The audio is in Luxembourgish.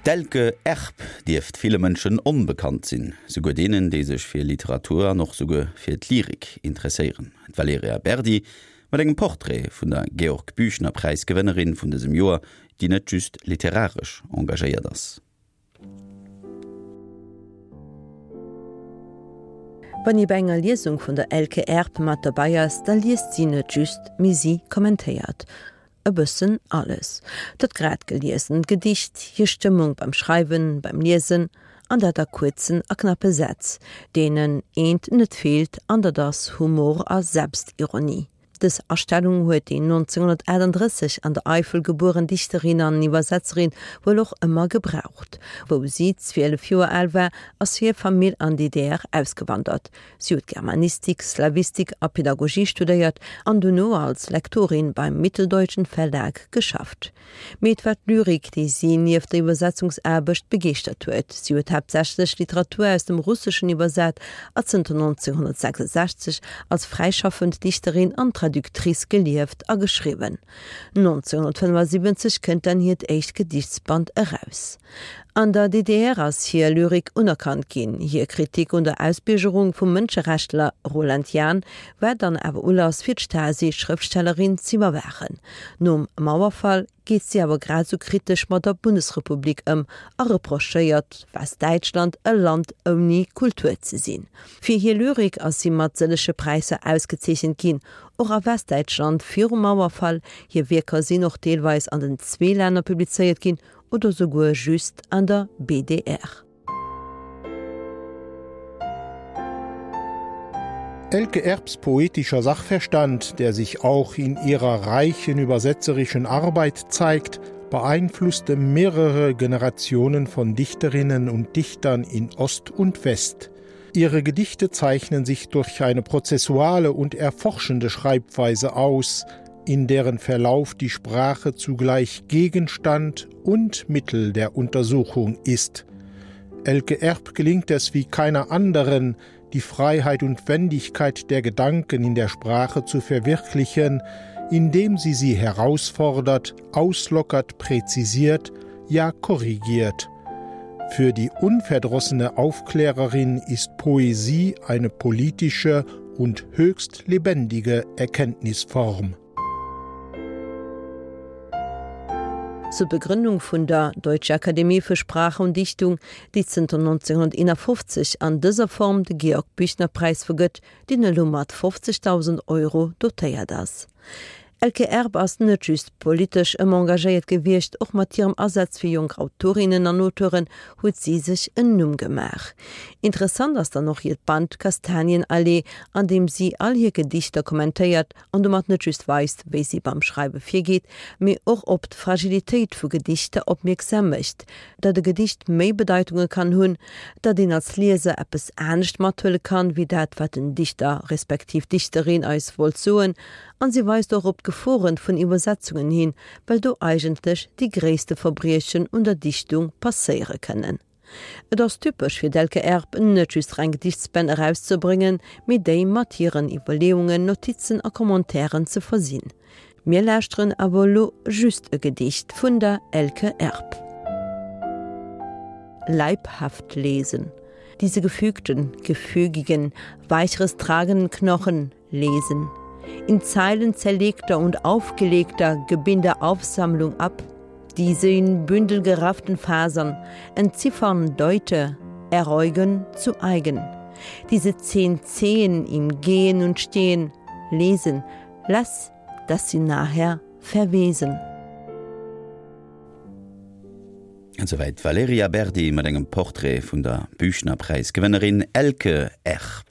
D'Elke Erb dierft ville Mënschen onbekannt sinn, souguer deenen, déi sech fir Literatur an och souguer fir d'Lyrik interesséieren. D'Valerija Berdi mat engem Portrait vun der Georg-Büchner-Präis-Gewënnerin vun dësem Joer, déi net just literaresch engagéiert ass. Wann ee bei enger Liesung vun der Elke Erb mat derbei ass, da liest si net just, mee si kommentéiert e bëssen alles. Dat grad geliesent Gedicht, hir Stëmmung beim Schreiwen, beim Liesen, an dat a kuerzen a knappe Sätz, deenen eent net feelt, an dat ass Humor a Selbstironie. Dës Astellung huet déi 1938 an der Eifel gebueren Dichterin an Iwwersetzerin wuel och ëmmer gebraucht. Wou si 12 Joer al war, ass hir Famill an d'DDR ausgewandert. Si huet Germanistik, Slawistik a Pedagogie studéiert an dono als Lektorin beim Mitteldeutschen Verlag geschafft. Mee et war d'Lyrik, déi si nieft der Iwwersetzungsaarbecht begeeschtert huet. Si huet haaptsächlech Literatur aus dem Russeschen iwwersat a zënter 1966 als fräischaffend Dichterin an Traductrice gelieft a geschriwwen. 1975 kënnt dann hiert éischt Gedichtsband eraus. An der DDR ass hir Lyrik unerkannt ginn. Hir Kritik un der Ausbiergerung vum Mënscherechtler Roland Jahn war dann awer Ulass fir d'Stasi, d'Schrëftstellerin z'iwwerwaachen. Nom Mauerfall geet si awer grad esou kritesch mat der Bundesrepublik ëm a reprochéiert Westdäitschland, e Land ouni Kultur ze sinn. Fir hir Lyrik ass si mat sëllege Präisser ausgezeechent ginn, och a Westdäitschland virum Mauerfall. Hir Wierker sinn och deelweis an den zwee Länner publizéiert ginn oder souguer just an der BDR. Elke Erbs poetischer Sachverstand, der sich auch in ihrer reichen übersetzerischen Arbeit zeigt, beeinflusste mehrere Generationen von Dichterinnen und Dichtern in Ost und West. Ihre Gedichte zeichnen sich durch eine prozessuale und erforschende Schreibweise aus, in deren Verlauf die Sprache zugleich Gegenstand und Mittel der Untersuchung ist. Elke Erb gelingt es wie keiner anderen, die Freiheit und Wendigkeit der Gedanken in der Sprache zu verwirklichen, indem sie sie herausfordert, auslockert, präzisiert, ja korrigiert. Für die unverdrossene Aufklärerin ist Poesie eine politische und höchst lebendige Erkenntnisform. Zur Begründung vun der Deutsche Akademie für Sprache und Dichtung, déi zënter 1951 an dëser Form de Georg-Büchner-Präis vergëtt, deen elo mat 50.000 Euro dotéiert ass. Elke Erb ass net just politesch ëmmer engagéiert gewiescht, och mat hirem Asaz fir jonk Autorinnen an Auteuren huet si sech en Numm gemaach. Interessant ass dann och hiert Band Kastanienallee, an deem si all hir Gedichter kommentéiert an domat net just weist, wéi si beim Schreiwe virgeet, mee och op d'Fragilitéit vu Gedichter opmierksam mécht, datt e Gedicht méi Bedeitunge kann hunn, datt een als Lieser eppes anescht mathuele kann, wéi dat, wat den Dichter respektiv d'Dichterin eis wollt soen. An si weist och op d'Geforen vun Iwwersetzungen hin, well do eigentlech déi gréisste Verbriechen un der Dichtung passéiere kënnen. Et ass typesch fir d'Elke Erb, net just reng Gedichtsbänn erauszebréngen, mee déi mat hiren Iwwerleeungen, Notizen a Commentairen ze versinn. Mir lauschteren awer elo just e Gedicht vun der Elke Erb. Leibhaft lesen. Diese gefügten, gefügigen, weicheres tragenden Knochen lesen. In Zeilen zerlegter und aufgelegter Gebinde Aufsammlung ab, diese in Bündel gerafften Fasern, entziffern Deute, eräugen zu eigen. Diese zehn Zehen im Gehen und Stehen, lesen, lass, dass sie nachher verwesen. Esouwäit d'Valerija Berdi mat engem Portrait vun der Büchnerpräisgewënnerin Elke Erb.